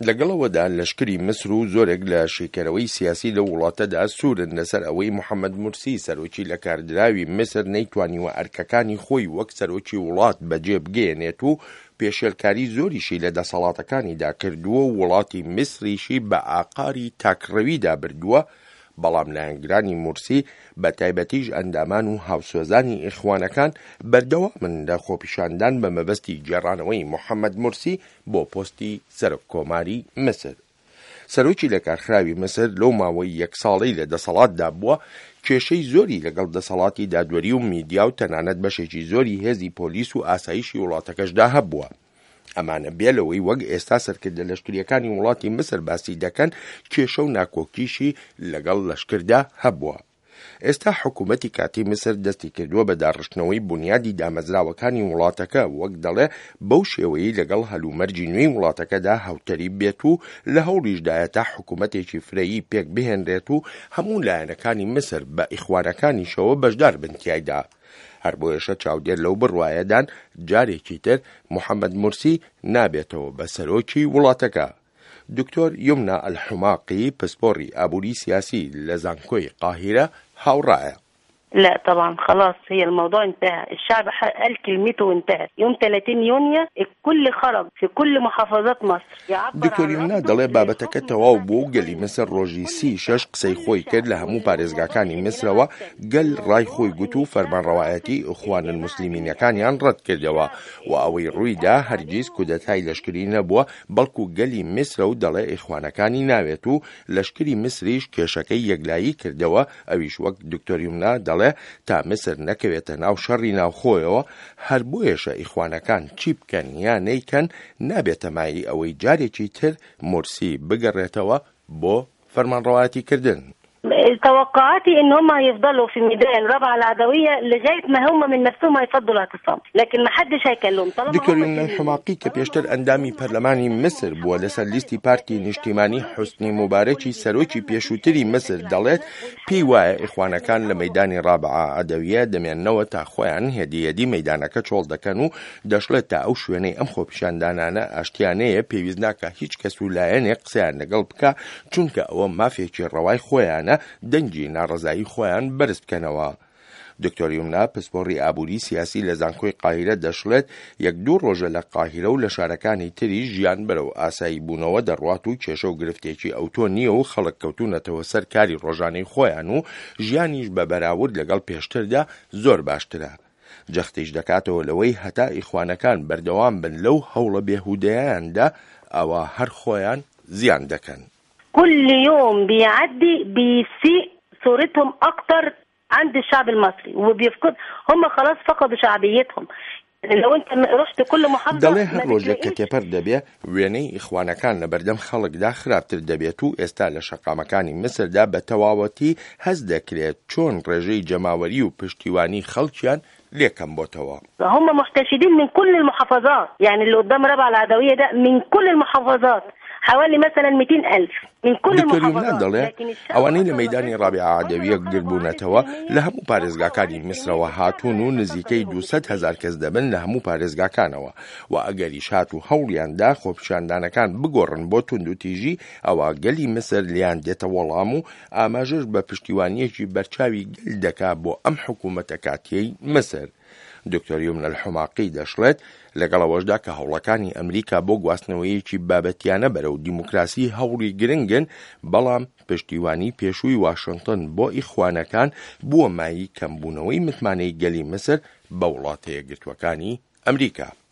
لەگەڵ ئەوەدا لەشکری میسر و زۆرێک لە شیکەرەوەی سیاسی لەو وڵاتەدا سوورن لەسەر ئەوەی محەمەد مورسی سەرۆکی لەکاردراوی میسر نەیتوانیوە ئەرکەکانی خۆی وەک سەرۆکی وڵات بەجێ بگەیەنێت و پێشێلکاری زۆریشی لە دەسەڵاتەکانیدا کردووە و وڵاتی میسریشی بە ئاقاری تاکڕەویدا بردووە، بەڵام لایەنگرانی مورسی بە تایبەتیش ئەندامان و هاوسۆزانی ئیخوانەکان بەردەوامن لە خۆپیشاندان بە مەبەستی گێڕانەوەی محەمەد مورسی بۆ پۆستی سەرۆک کۆماری میسر. سەرۆکی لەکارخراوی میسر لەو ماوەی یەک ساڵەی لە دەسەڵاتدا بووە، کێشەی زۆری لەگەڵ دەسەڵاتی دادوەری و میدیا و تەنانەت بەشێکی زۆری هێزی پۆلیس و ئاسایشی وڵاتەکەشدا هەبووە. ئەمانە بێ لەوەی وەک ئێستا سەرکردە لەشکرییەکانی وڵاتی میسر باسی دەکەن، کێشە و ناکۆکیشی لەگەڵ لەشکردا هەبووە. ئێستا حکوومەتی کاتی میسر دەستی کردووە بە داڕشتنەوەی بونیادی دامەزراوەکانی وڵاتەکە، وەک دەڵێ بەو شێوەیەی لەگەڵ هەلومەرجی نوێی وڵاتەکەدا هاوتەریب بێت و لە هەوڵیشدایە تا حکوومەتێکی فرەیی پێک بهێنرێت و هەموو لایەنەکانی میسر بە ئیخوانەکانیشەوە بەشدار بن تیایدا. هەر بۆیەشە چاودێر لەو بڕوایەدان جارێکی تر محەمەد مورسی نابێتەوە بە سەرۆکی وڵاتەکە. دکتۆر یومنا ئەلحوماقی پسپۆڕی ئابووری سیاسی لە زانکۆی قاهیرە هاوڕایە. لا طبعا خلاص هي الموضوع انتهى الشعب قال كلمته وانتهى يوم 30 يونيو الكل خرج في كل محافظات مصر يعبر دکتۆر عن یومنا رفضه دەڵێ بابەتەکە للحكم تەواو بتاع بوو و الإخوان گەلی میسر المسلمين ڕۆژی كل سی الشعب شەش قسەی كل خۆی الشعب کرد لە هەموو والموضوع پارێزگاکانی يا جماعة میسرەوە گەل ڕای الموضوع خۆی گوت ان و الشعب رافض فەرمانڕەوایەتی ئیخوان الجماعة دي من الموسلیمینەکانیان الأساس ڕەت کردەوە الشعب و ئەوەی ال- ڕووی دا اتقلب هەرگیز عليهم کودەتای لەشکری نەبووە بەڵکو گەلی میسرە و دەڵێ ئیخوانەکانی ناوێت و لەشکری میسریش کێشەکەی یەکلایی کردەوە ئەویش وەک دکتۆر یومنا دەڵێ تا میسر نەکەوێتە ناو شەڕی ناوخۆیەوە هەر بۆیەشە ئیخوانەکان چی بکەن یا نەیکەن نابێتە مایەی ئەوەی جارێکی تر مورسی بگەڕێتەوە بۆ فەرمانڕەوایەتی کردن. توقعاتي ان هم هيفضلوا في ميدان رابعه العدويه لغايه ما هم من نفسهم هيفضوا الاعتصام لكن ما حدش هيكلمهم طالما دکتۆر هم یومنا سلميين الحماقی کە طالما پێشتر هم ئەندامی سلميين ما حدش پەرلەمانی هيكلمهم میسر ومن بووە حقهم لەسەر لیستی يعترضوا پارتی لكن الشعب نیشتیمانی كله حوسنی بيشتغل موبارەکی كل سەرۆکی بيشتغل ما فيش پێشووتری اي میسر مشاكل دەڵێت عندنا پێی والحياه وایە احسن من ئیخوانەکان لە الاول مەیدانی ڕابعە عەدەویە دەمێننەوە تا خۆیان هێدی هێدی مەیدانەکە چۆڵ دەکەن و دەشڵێت تا ئەو شوێنەی ئەم خۆپیشاندانانە ئاشتیانەیە پێویست ناکا هیچ کەس و لایەنێک قسەیان لەگەڵ بکا چونکە ئەوە مافێکی ڕەوای خۆیانە دەنگی ناڕەزایی خۆیان بەرز بکەنەوە. دکتۆر یومنا پسپۆڕی ئابووری سیاسی لە زانکۆی قاهیرە دەشڵێت، یەک دوو ڕۆژە لە قاهیرە و لە شارەکانی تریش ژیان بەرەو ئاسایی بوونەوە دەڕوات و کێشە و گرفتێکی ئەوتۆ نییە و خەڵک کەوتوونەتەوە سەر کاری ڕۆژانەی خۆیان و ژیانیش بە بەراورد لەگەڵ پێشتردا زۆر باشترە. جەختیش دەکاتەوە لەوەی هەتا ئیخوانەکان بەردەوام بن لەو هەوڵە بێهودەیاندا ئەوا هەر خۆیان زیان دەکەن. كل يوم بيعدي بيسيء صورتهم اكتر عند الشعب المصري وبيفقد هم خلاص فقدوا شعبيتهم لو انت رحت كل محافظة دەڵێ ما هەر ڕۆژێک کە بتلاقيش تێپەر دەبێ وێنەی ئیخوانەکان لە بەردەم خەڵکدا خراپتر دەبێت و ئێستا لە شەقامەکانی میسردا بە تەواوەتی هەست دەکرێت چۆن ڕێژەی جەماوەری و پشتیوانی خەڵکیان لێ کەم بۆتەوە. هم محتشدين من كل المحافظات يعني اللي قدام رابعة العدوية ده من كل المحافظات حوالي مثلا 200 ألف من كل دکتۆر یومنا المحافظات دەڵێ، لكن الشعب ئەوانەی لە أصلا مەیدانی رافضهم ڕابیعە هم لو عەدەویە خرجوا عليه گردبوونەتەوە لە سلميا هەموو لو خرجوا پارێزگاکانی عليه سلميا میسرەوە الشعب هاتوون و هيتقبل نزیکەی لهم 200 مش هەزار هيسيب کەس دەبن لە هەموو پارێزگاکانەوە و ئەگەریش هات و هەوڵیان دا خۆپیشاندانەکان بگۆڕن بۆ توندوتیژی ئەوا گەلی میسر لێیان دێتە وەڵام و ئاماژەش بە پشتیوانییەکی بەرچاوی گەل دەکا بۆ ئەم حکوومەتە کاتییەی میسر. دکتۆر یومن الحماقی دەشڵێت، لەگەڵ ئەوەشدا کە هەوڵەکانی ئەمریکا بۆ گواستنەوەیەکی بابەتیانە بەرەو دیموکراسی هەوڵی گرنگن، بەڵام پشتیوانی پێشووی واشنتن بۆ ئیخوانەکان بووە مایەی کەمبوونەوەی متمانەی گەلی میسر بە وڵاتە یەکگرتووەکانی ئەمریکا.